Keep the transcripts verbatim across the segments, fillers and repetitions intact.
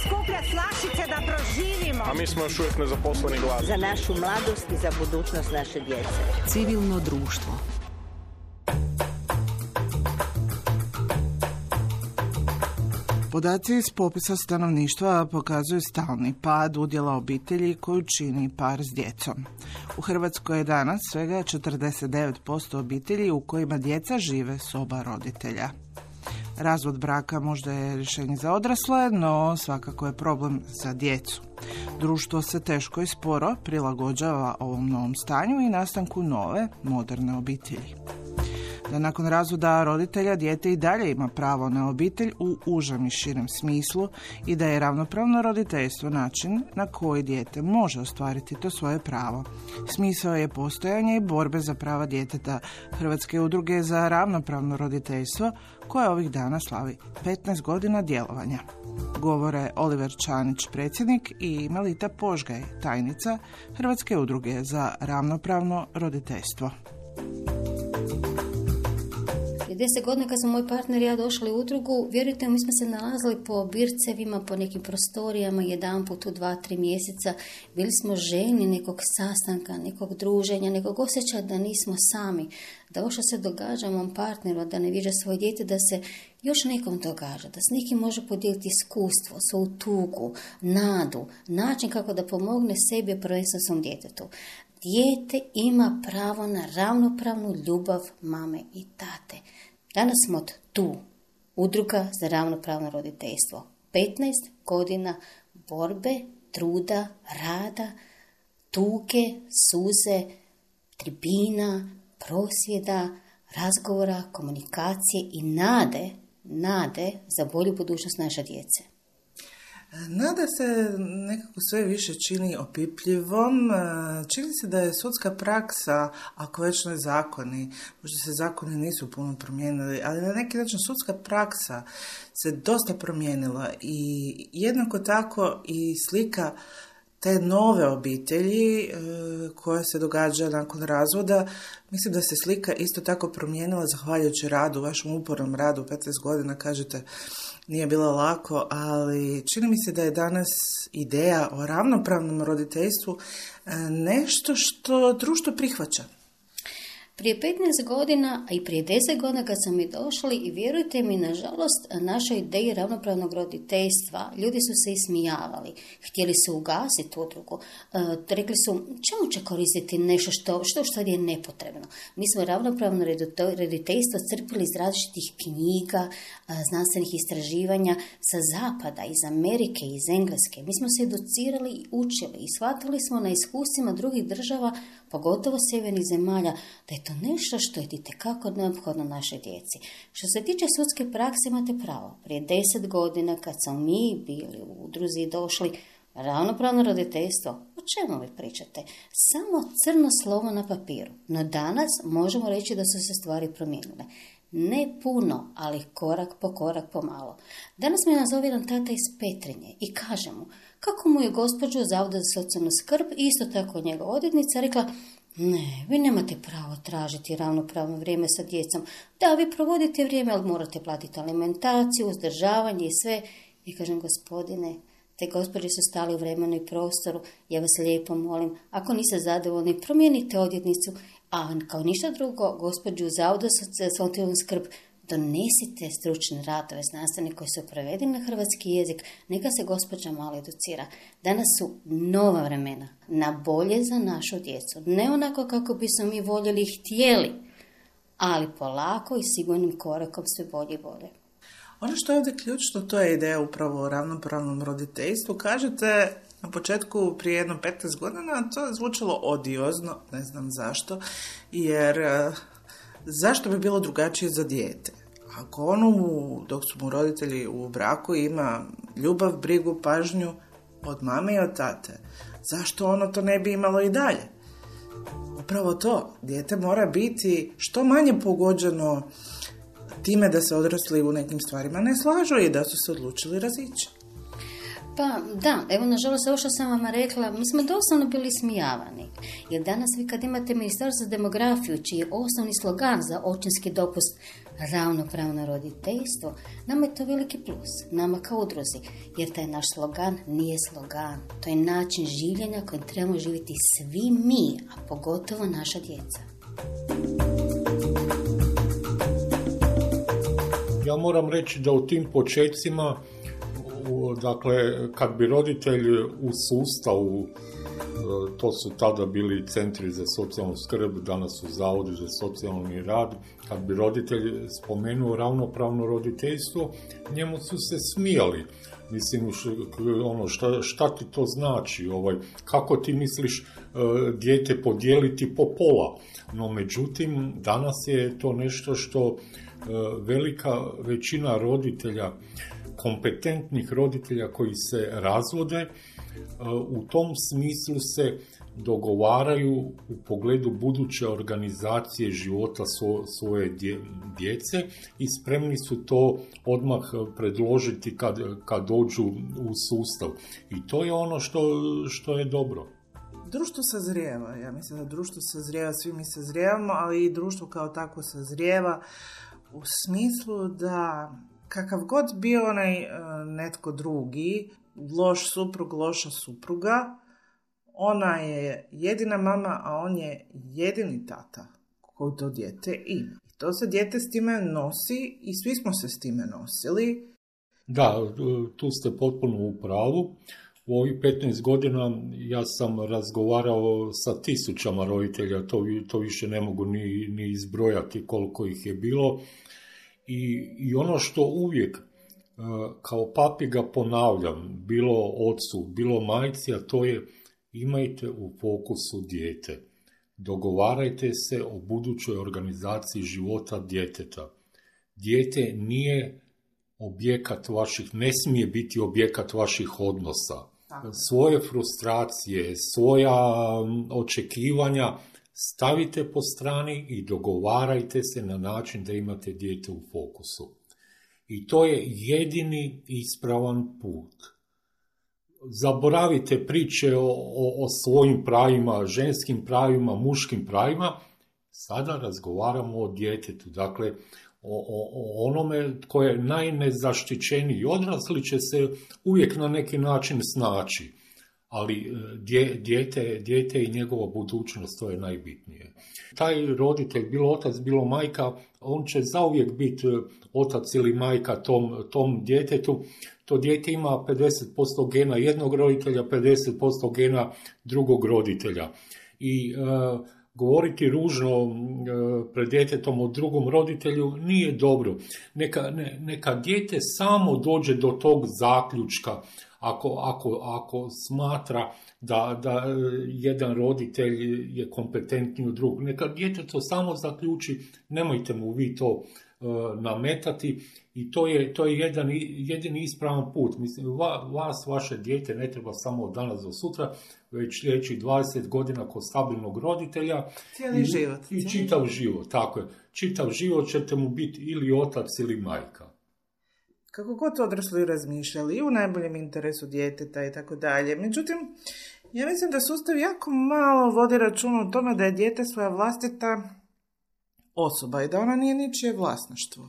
skuplja slašice da proživimo. A mi smo još uvijek nezaposleni gladni. Za našu mladost i za budućnost naše djece. Civilno društvo. Podaci iz popisa stanovništva pokazuju stalni pad udjela obitelji koju čini par s djecom. U Hrvatskoj je danas svega četrdeset devet posto obitelji u kojima djeca žive s oba roditelja. Razvod braka možda je rješenje za odrasle, no svakako je problem za djecu. Društvo se teško i sporo prilagođava ovom novom stanju i nastanku nove, moderne obitelji. Da nakon razvoda roditelja dijete i dalje ima pravo na obitelj u užem i širem smislu i da je ravnopravno roditeljstvo način na koji dijete može ostvariti to svoje pravo. Smisao je postojanje i borbe za prava djeteta Hrvatske udruge za ravnopravno roditeljstvo koja ovih dana slavi petnaest godina djelovanja. Govore Oliver Čanić, predsjednik, i Melita Požgaj, tajnica Hrvatske udruge za ravnopravno roditeljstvo. Deset godina kad smo moj partner i ja došli u udrugu, vjerujte mi, smo se nalazili po bircevima, po nekim prostorijama, jedan put u dva, tri mjeseca. Bili smo željni nekog sastanka, nekog druženja, nekog osjećaja da nismo sami. Da ovo što se događa mom partneru, da ne viđa svoje dijete, da se još nekom događa, da s nekim može podijeliti iskustvo, svoju tugu, nadu, način kako da pomogne sebi, prvenstveno svom djetetu. Dijete ima pravo na ravnopravnu ljubav mame i tate. Danas smo tu, Udruga za ravnopravno roditeljstvo. petnaest godina borbe, truda, rada, tuge, suze, tribina, prosvjeda, razgovora, komunikacije i nade, nade za bolju budućnost naše djece. Nada se nekako sve više čini opipljivom. Čini se da je sudska praksa, ako već ne zakoni, možda se zakoni nisu puno promijenili, ali na neki način sudska praksa se dosta promijenila i jednako tako i slika te nove obitelji e, koja se događa nakon razvoda. Mislim da se slika isto tako promijenila zahvaljujući radu, vašem upornom radu, petnaest godina, kažete, nije bilo lako, ali čini mi se da je danas ideja o ravnopravnom roditeljstvu nešto što društvo prihvaća. Prije petnaest godina, a i prije deset godina kad smo mi došli, i vjerujte mi, nažalost, našoj ideji ravnopravnog roditeljstva, ljudi su se ismijavali. Htjeli su ugasiti udrugu. E, rekli su, čemu će koristiti nešto što, što što je nepotrebno. Mi smo ravnopravno roditeljstvo crpili iz različitih knjiga, znanstvenih istraživanja sa zapada, iz Amerike, iz Engleske. Mi smo se educirali i učili i shvatili smo na iskustvima drugih država, pogotovo sjevernih zemalja, da je to nešto što je itekako neophodno našoj djeci. Što se tiče sudske prakse, imate pravo. Prije deset godina, kad smo mi bili u udruzi i došli, ravnopravno roditeljstvo, o čemu vi pričate? Samo crno slovo na papiru. No danas možemo reći da su se stvari promijenile. Ne puno, ali korak po korak pomalo. Danas me nazove jedan tata iz Petrinje i kaže mu kako mu je gospođu Zavoda za socijalnu skrb i isto tako njegova odvjetnica rekla: ne, vi nemate pravo tražiti ravnopravno vrijeme sa djecom. Da, vi provodite vrijeme, ali morate platiti alimentaciju, uzdržavanje i sve. I kažem, gospodine, te gospođe su stali u vremenu i prostoru, ja vas lijepo molim, ako niste zadovoljni, promijenite odvjetnicu, a kao ništa drugo, gospođu Zavoda za socijalnu skrb, donesite stručne radove znanstvene koji su prevedeni na hrvatski jezik, neka se gospođa malo educira. Danas su nova vremena, na bolje za našu djecu. Ne onako kako bismo mi voljeli i htjeli, ali polako i sigurnim korakom sve bolje i bolje. Ono što je ovdje ključno, to je ideja upravo o ravnopravnom roditeljstvu. Kažete na početku prije jedno petnaest godina, to je zvučalo odiozno, ne znam zašto, jer zašto bi bilo drugačije za dijete? Ako ono, dok su mu roditelji u braku, ima ljubav, brigu, pažnju od mame i od tate, zašto ono to ne bi imalo i dalje? Upravo to, dijete mora biti što manje pogođeno time da se odrasli u nekim stvarima ne slažu i da su se odlučili razići. Pa da, evo nažalost ovo što sam vam rekla, mi smo doslovno bili smijavani. Jer danas vi kad imate Ministarstvo za demografiju, čiji je osnovni slogan za očinski dopust ravnopravno roditeljstvo, nama je to veliki plus, nama kao udruzi, jer taj naš slogan nije slogan, to je način življenja kojim trebamo živjeti svi mi, a pogotovo naša djeca. Ja moram reći da u tim počecima, dakle, kad bi roditelj u sustavu, to su tada bili centri za socijalnu skrb, danas su zavodi za socijalni rad, kad bi roditelj spomenuo ravnopravno roditeljstvo, njemu su se smijali. Mislim, ono, šta, šta ti to znači? Ovaj, kako ti misliš uh, dijete podijeliti po pola? No, međutim, danas je to nešto što uh, velika većina roditelja, kompetentnih roditelja koji se razvode, uh, u tom smislu se dogovaraju u pogledu buduće organizacije života svo, svoje dje, djece i spremni su to odmah predložiti kad, kad dođu u sustav. I to je ono što, što je dobro. Društvo sazrijeva. Ja mislim da društvo sazrijeva, svi mi sazrijevamo, ali i društvo kao tako sazrijeva u smislu da kakav god bio onaj netko drugi, loš suprug, loša supruga, ona je jedina mama, a on je jedini tata koji to dijete ima. I to se dijete s time nosi i svi smo se s time nosili. Da, tu ste potpuno u pravu. U ovih petnaest godina ja sam razgovarao sa tisućama roditelja, to, to više ne mogu ni, ni izbrojati koliko ih je bilo. I, i ono što uvijek kao papiga ponavljam, bilo ocu, bilo majci, a to je: imajte u fokusu dijete. Dogovarajte se o budućoj organizaciji života djeteta. Dijete nije objekat vaših, ne smije biti objekat vaših odnosa. Svoje frustracije, svoja očekivanja stavite po strani i dogovarajte se na način da imate dijete u fokusu. I to je jedini ispravan put. Zaboravite priče o, o, o svojim pravima, ženskim pravima, muškim pravima. Sada razgovaramo o djetetu, dakle o, o, o onome tko je najnezaštićeniji. Odrasli će se uvijek na neki način snaći, ali dje, dijete, dijete i njegova budućnost, to je najbitnije. Taj roditelj, bilo otac, bilo majka, on će zauvijek biti otac ili majka tom, tom djetetu. To dijete ima pedeset posto gena jednog roditelja, pedeset posto gena drugog roditelja. I e, govoriti ružno e, pred djetetom o drugom roditelju nije dobro. Neka, ne, neka dijete samo dođe do tog zaključka ako, ako, ako smatra da, da jedan roditelj je kompetentniji od drugog. Neka dijete to samo zaključi, nemojte mu vi to nametati i to je, to je jedan, jedini ispravan put. Mislim, vas, vaše dijete ne treba samo od danas do sutra, već sljedećih dvadeset godina kod stabilnog roditelja. Cijeli i, život. I čitav život, tako je. Čitav život ćete mu biti ili otac ili majka. Kako god odrasli razmišljali i u najboljem interesu djeteta i tako dalje. Međutim, ja mislim da sustav jako malo vodi računa o tome da je dijete svoja vlastita osoba i da ona nije ničije vlasništvo.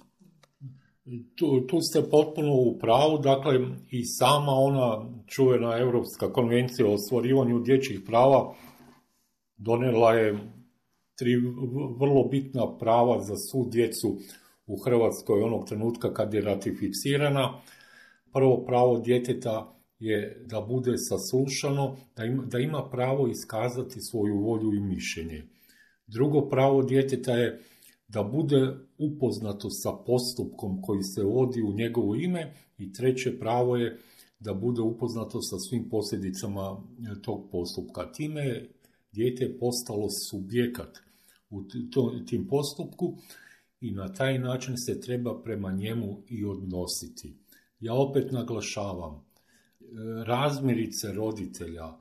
Tu, tu ste potpuno u pravu, dakle i sama ona čuvena Europska konvencija o ostvarivanju dječjih prava donijela je tri vrlo bitna prava za svu djecu u Hrvatskoj onog trenutka kad je ratificirana. Prvo pravo djeteta je da bude saslušano, da ima, da ima pravo iskazati svoju volju i mišljenje. Drugo pravo djeteta je da bude upoznato sa postupkom koji se vodi u njegovo ime i treće pravo je da bude upoznato sa svim posljedicama tog postupka. Time je dijete postalo subjekat u tim postupku i na taj način se treba prema njemu i odnositi. Ja opet naglašavam, razmirice roditelja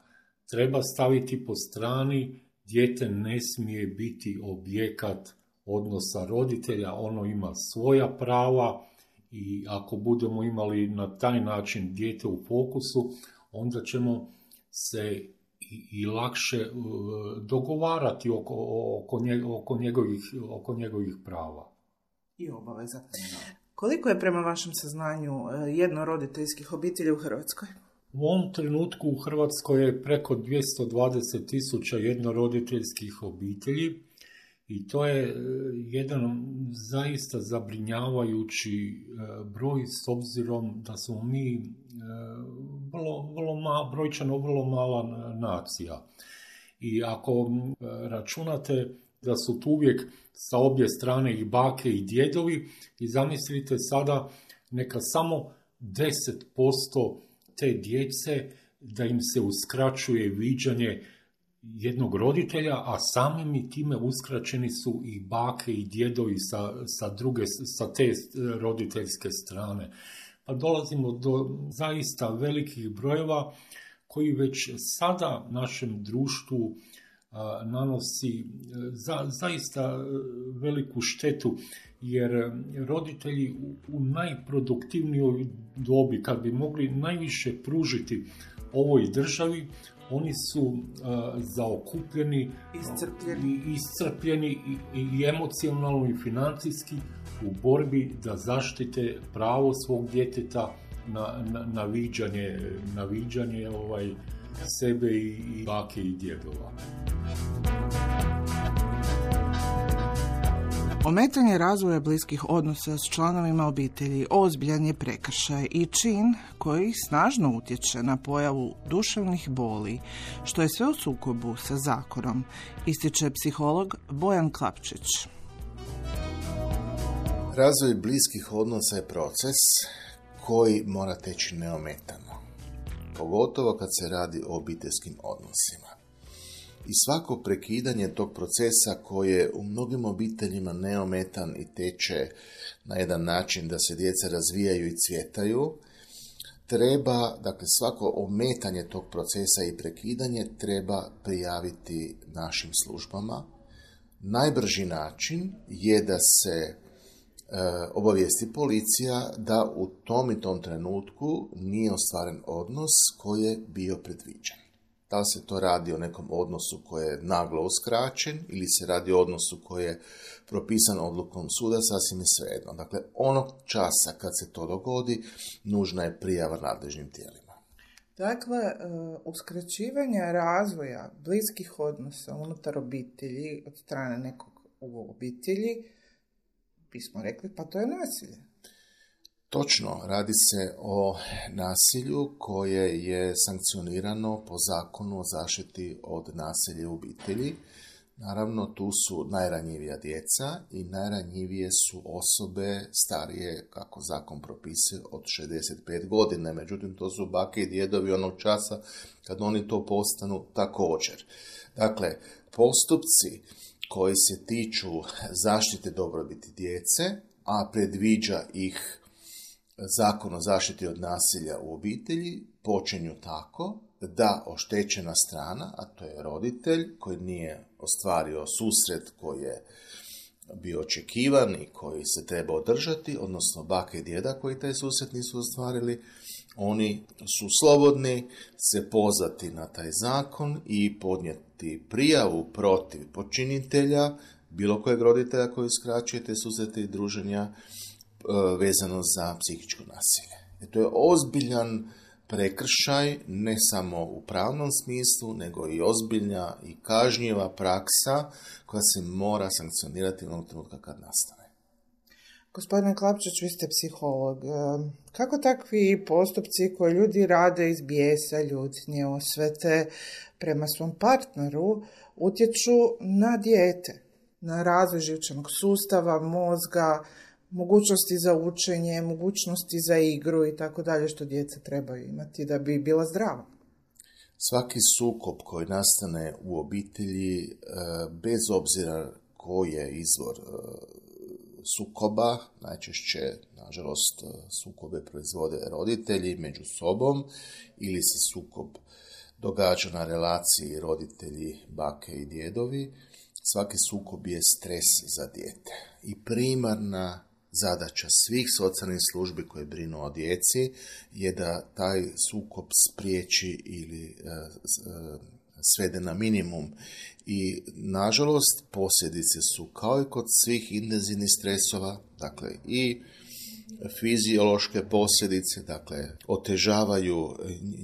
treba staviti po strani, dijete ne smije biti objekat odnosa roditelja, ono ima svoja prava i ako budemo imali na taj način dijete u fokusu, onda ćemo se i, i lakše uh, dogovarati oko, oko, nje, oko, njegovih, oko njegovih prava. i obaveza. Koliko je prema vašem saznanju jednoroditeljskih obitelji u Hrvatskoj? U ovom trenutku u Hrvatskoj je preko dvjesto dvadeset tisuća jednoroditeljskih obitelji i to je jedan zaista zabrinjavajući broj s obzirom da smo mi vrlo, vrlo ma, brojčano vrlo mala nacija. I ako računate da su tu uvijek sa obje strane i bake i djedovi i zamislite sada neka samo deset posto te djece da im se uskraćuje viđanje jednog roditelja, a samim i time uskraćeni su i bake i djedovi sa, sa, druge, sa te roditeljske strane. Pa dolazimo do zaista velikih brojeva koji već sada našem društvu a, nanosi za, zaista veliku štetu, jer roditelji u, u najproduktivnijoj dobi, kad bi mogli najviše pružiti ovoj državi, oni su uh, zaokupljeni, iscrpljeni, i, iscrpljeni i, i emocionalno i financijski u borbi da zaštite pravo svog djeteta na, na, na viđanje, na viđanje ovaj, sebe i, i bake i djedova. Ometanje razvoja bliskih odnosa s članovima obitelji ozbiljan je prekršaj i čin koji snažno utječe na pojavu duševnih boli, što je sve u sukobu sa zakonom, ističe psiholog Bojan Klapčić. Razvoj bliskih odnosa je proces koji mora teći neometano, pogotovo kad se radi o obiteljskim odnosima. I svako prekidanje tog procesa koji je u mnogim obiteljima neometan i teče na jedan način da se djeca razvijaju i cvjetaju, treba, dakle svako ometanje tog procesa i prekidanje treba prijaviti našim službama. Najbrži način je da se e, obavijesti policija da u tom i tom trenutku nije ostvaren odnos koji je bio predviđen. Da li se to radi o nekom odnosu koji je naglo uskraćen ili se radi o odnosu koji je propisan odlukom suda, sasvim je svejedno. Dakle, onog časa kad se to dogodi, nužna je prijava nadležnim tijelima. Dakle, uskraćivanje razvoja bliskih odnosa unutar obitelji od strane nekog u obitelji, bismo rekli, pa to je nasilje. Točno, radi se o nasilju koje je sankcionirano po zakonu o zaštiti od nasilja u obitelji. Naravno, tu su najranjivija djeca i najranjivije su osobe starije, kako zakon propisuje, od šezdeset pet godina. Međutim, to su bake i djedovi onog časa kad oni to postanu također. Dakle, postupci koji se tiču zaštite dobrobiti djece, a predviđa ih Zakon o zaštiti od nasilja u obitelji, počinju tako da oštećena strana, a to je roditelj koji nije ostvario susret koji je bio očekivan i koji se treba održati, odnosno baka i djeda koji taj susret nisu ostvarili, oni su slobodni se pozvati na taj zakon i podnijeti prijavu protiv počinitelja, bilo kojeg roditelja koji uskraćuje te susrete i druženja vezano za psihičko nasilje. I to je ozbiljan prekršaj, ne samo u pravnom smislu, nego i ozbiljna i kažnjiva praksa koja se mora sankcionirati onog trenutka kad nastane. Gospodine Klapčić, vi ste psiholog. Kako takvi postupci koje ljudi rade iz bijesa, ljutnje, osvete prema svom partneru utječu na dijete, na razvoj živčanog sustava, mozga, mogućnosti za učenje, mogućnosti za igru i tako dalje što djeca trebaju imati da bi bila zdrava? Svaki sukob koji nastane u obitelji, bez obzira koji je izvor sukoba, najčešće, nažalost, sukobe proizvode roditelji među sobom ili se sukob događa na relaciji roditelji, bake i djedovi, svaki sukob je stres za dijete. I primarna zadaća svih socijalnih službi koje brinu o djeci je da taj sukob spriječi ili e, svede na minimum. I, nažalost, posljedice su kao i kod svih intenzivnih stresova, dakle i fiziološke posljedice, dakle, otežavaju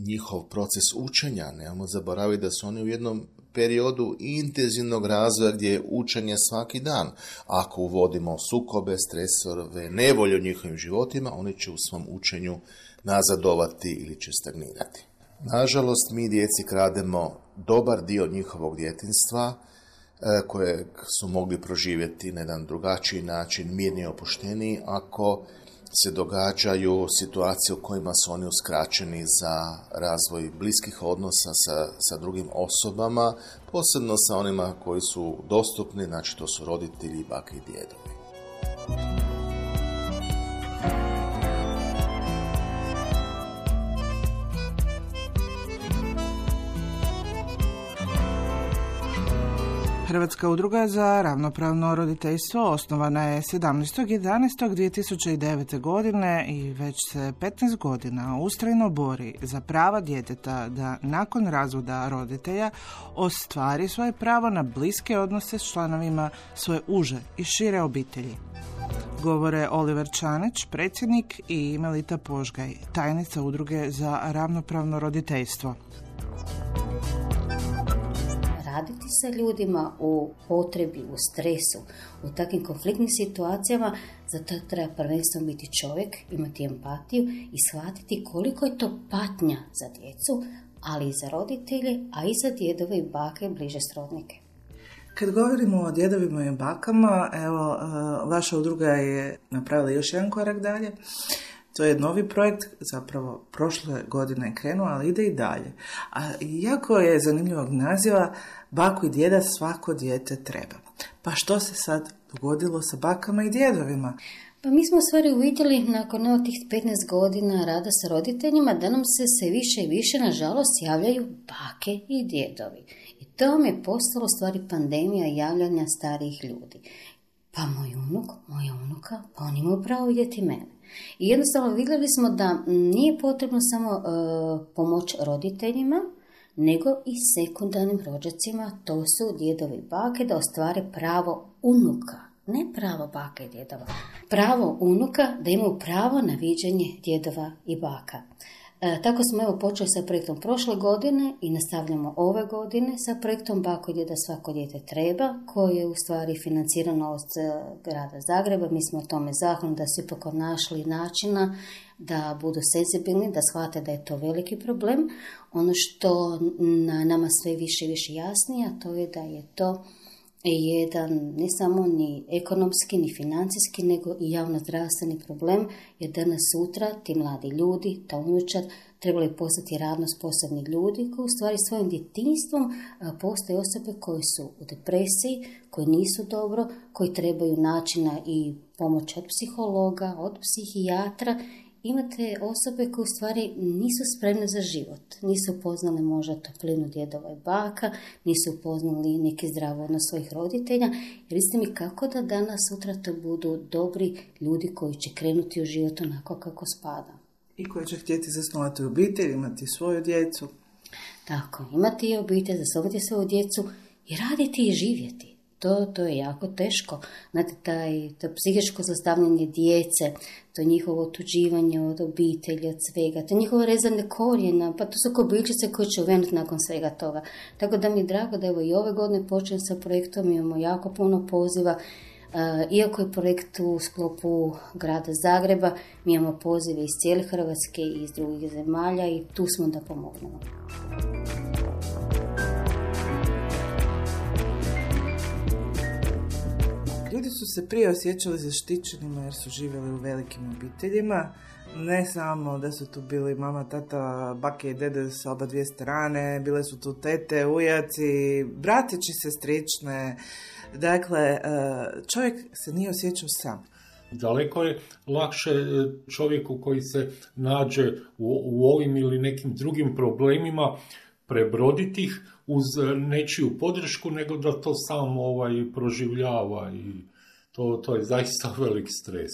njihov proces učenja. Nemamo zaboraviti da su oni u jednom periodu intenzivnog razvoja gdje je učenje svaki dan. Ako uvodimo sukobe, stresove, nevolje u njihovim životima, oni će u svom učenju nazadovati ili će stagnirati. Nažalost, mi djeci krademo dobar dio njihovog djetinjstva koje su mogli proživjeti na jedan drugačiji način, mirniji i opušteniji, ako se događaju situacije u kojima su oni uskraćeni za razvoj bliskih odnosa sa, sa drugim osobama, posebno sa onima koji su dostupni, znači to su roditelji, bake i djedovi. Hrvatska udruga za ravnopravno roditeljstvo osnovana je sedamnaestog jedanaestog dvije tisuće devete. godine i već se petnaest godina ustrajno bori za prava djeteta da nakon razvoda roditelja ostvari svoje pravo na bliske odnose s članovima svoje uže i šire obitelji. Govore Oliver Čanić, predsjednik, i Melita Požgaj, tajnica udruge za ravnopravno roditeljstvo. Raditi sa ljudima u potrebi, u stresu, u takvim konfliktnim situacijama, zato treba prvenstveno biti čovjek, imati empatiju i shvatiti koliko je to patnja za djecu, ali i za roditelje, a i za djedove i bake i bliže srodnike. Kad govorimo o djedovima i bakama, evo, vaša udruga je napravila još jedan korak dalje. To je novi projekt, zapravo prošle godine je krenuo, ali ide i dalje. A jako je zanimljivog naziva, baku i djeda svako dijete treba. Pa što se sad dogodilo sa bakama i djedovima? Pa mi smo u stvari uvidjeli nakon ovih tih petnaest godina rada sa roditeljima da nam se sve više i više, nažalost, javljaju bake i djedovi. I to vam je postalo u stvari pandemija javljanja starijih ljudi. Pa moj unuk, moja unuka, pa oni imaju pravo vidjeti mene. I jednostavno vidjeli smo da nije potrebno samo e, pomoć roditeljima, nego i sekundarnim rođacima, to su djedovi i bake, da ostvare pravo unuka, ne pravo baka i djedova, pravo unuka da imaju pravo na viđenje djedova i baka. E, tako smo evo počeli sa projektom prošle godine i nastavljamo ove godine sa projektom Bako i djeda svako dijete treba, koji je u stvari financirano od grada Zagreba. Mi smo o tome zahvalni da su ipak našli načina da budu senzibilni, da shvate da je to veliki problem. Ono što na nama sve više i više jasnije, a to je da je to jedan ne samo ni ekonomski, ni financijski, nego i javno-zdravstveni problem, jer danas sutra ti mladi ljudi, ta unučad, trebali postati radno sposobni ljudi koji u stvari svojim djetinjstvom postoje osobe koje su u depresiji, koji nisu dobro, koji trebaju načina i pomoć od psihologa, od psihijatra. Imate osobe koje u stvari nisu spremne za život, nisu upoznali možda toplinu djedova i baka, nisu upoznali neki zdrav odnos svojih roditelja. Jer ste mi kako da danas, sutra to budu dobri ljudi koji će krenuti u život onako kako spada. I koji će htjeti zasnovati obitelj, imati svoju djecu. Tako, imati i obitelj, zasnovati svoju djecu i raditi i živjeti. To, to je jako teško. Znate, taj, to psihičko zlostavljanje djece, to njihovo otuđivanje od obitelji, od svega, to njihovo rezanje korijena, pa to su kobiljčice koje će uvenuti nakon svega toga. Tako da mi je drago da evo i ove godine počnem sa projektom, imamo jako puno poziva. Iako je projekt u sklopu grada Zagreba, mi imamo pozive iz cijele Hrvatske i iz drugih zemalja i tu smo da pomognemo. Ljudi su se prije osjećali zaštićenima jer su živjeli u velikim obiteljima. Ne samo da su tu bili mama, tata, bake i dede sa oba dvije strane, bile su tu tete, ujaci, bratići, sestrične. Dakle, čovjek se nije osjećao sam. Daleko je lakše čovjeku koji se nađe u, u ovim ili nekim drugim problemima prebroditi ih uz nečiju podršku, nego da to sam ovaj, proživljava i to, to je zaista veliki stres.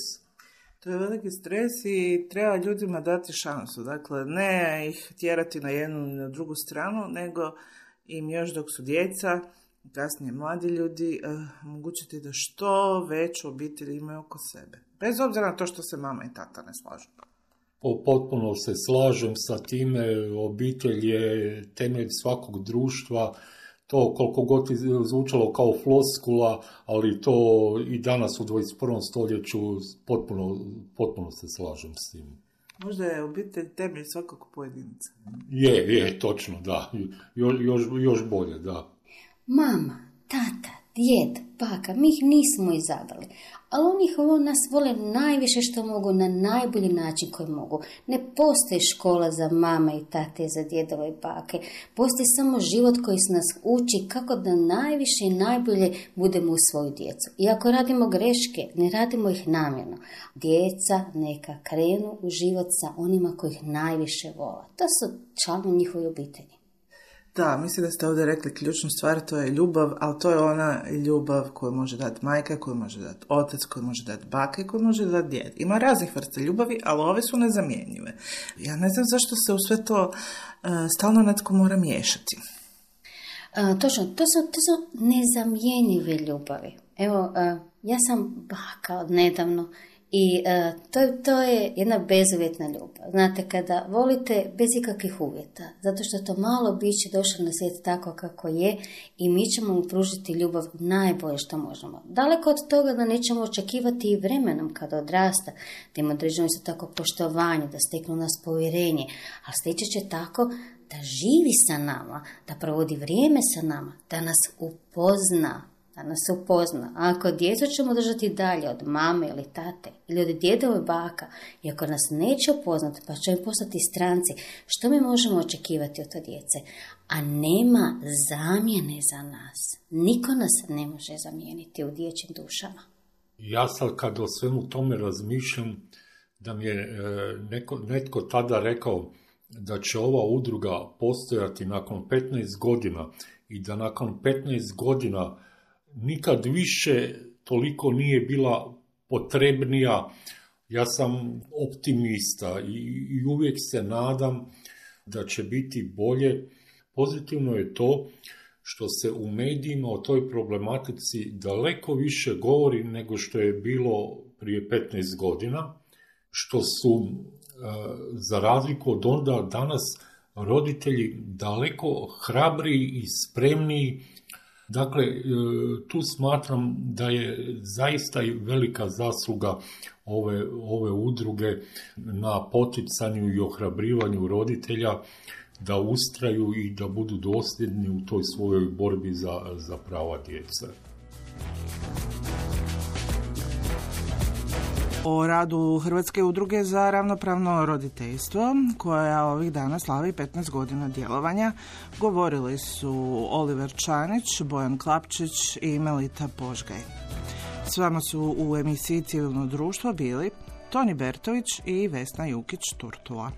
To je veliki stres i treba ljudima dati šansu. Dakle, ne ih tjerati na jednu ili na drugu stranu, nego im još dok su djeca, kasnije mladi ljudi, omogućiti da što veću obitelj imaju oko sebe. Bez obzira na to što se mama i tata ne slažu. Potpuno se slažem sa time, obitelj je temelj svakog društva, to koliko god zvučalo kao floskula, ali to i danas u dvadeset prvom stoljeću potpuno, potpuno se slažem s tim. Možda je obitelj temelj svakog pojedinca. Je, je, točno, da. Jo, još, još bolje, da. Mama, tata, djed, baka, mi ih nismo izabrali, ali oni ih nas vole najviše što mogu, na najbolji način koji mogu. Ne postoji škola za mama i tate, za djedove i bake. Postoji samo život koji se nas uči kako da najviše i najbolje budemo u svoju djecu. I ako radimo greške, ne radimo ih namjerno. Djeca neka krenu u život sa onima koji ih najviše vole. To su članovi njihove obitelji. Da, mislim da ste ovdje rekli ključnu stvar, to je ljubav, ali to je ona ljubav koju može dati majka, koju može dati otac, koju može dati baka i koju može dati djed. Ima raznih vrsta ljubavi, ali ove su nezamjenjive. Ja ne znam zašto se u sve to uh, stalno netko mora miješati. Uh, točno, to su, to su nezamjenjive ljubavi. Evo, uh, ja sam baka od nedavno i uh, to, to je jedna bezuvjetna ljubav. Znate, kada volite bez ikakvih uvjeta, zato što to malo biće došlo na svijet tako kako je i mi ćemo mu pružiti ljubav najbolje što možemo. Daleko od toga da nećemo očekivati i vremenom kada odrasta, da im određeno isto tako poštovanje, da steknu nas povjerenje, ali steći će tako da živi sa nama, da provodi vrijeme sa nama, da nas upozna, da nas se upozna. A ako djecu ćemo držati dalje od mame ili tate ili od djedova i baka, i ako nas neće upoznati pa će im postati stranci, što mi možemo očekivati od te djece? A nema zamjene za nas. Niko nas ne može zamijeniti u dječjim dušama. Ja sad kad o svemu tome razmišljam, da mi je e, neko, netko tada rekao da će ova udruga postojati nakon petnaest godina i da nakon petnaest godina nikad više toliko nije bila potrebnija. Ja sam optimista i, i uvijek se nadam da će biti bolje. Pozitivno je to što se u medijima o toj problematici daleko više govori nego što je bilo prije petnaest godina, što su za razliku od onda danas roditelji daleko hrabriji i spremniji. Dakle, tu smatram da je zaista i velika zasluga ove, ove udruge na poticanju i ohrabrivanju roditelja da ustraju i da budu dosljedni u toj svojoj borbi za, za prava djece. O radu Hrvatske udruge za ravnopravno roditeljstvo, koja ovih dana slavi petnaest godina djelovanja, govorili su Oliver Čanić, Bojan Klapčić i Melita Požgaj. S vama su u emisiji Civilno društvo bili Toni Bertović i Vesna Jukić-Turtula.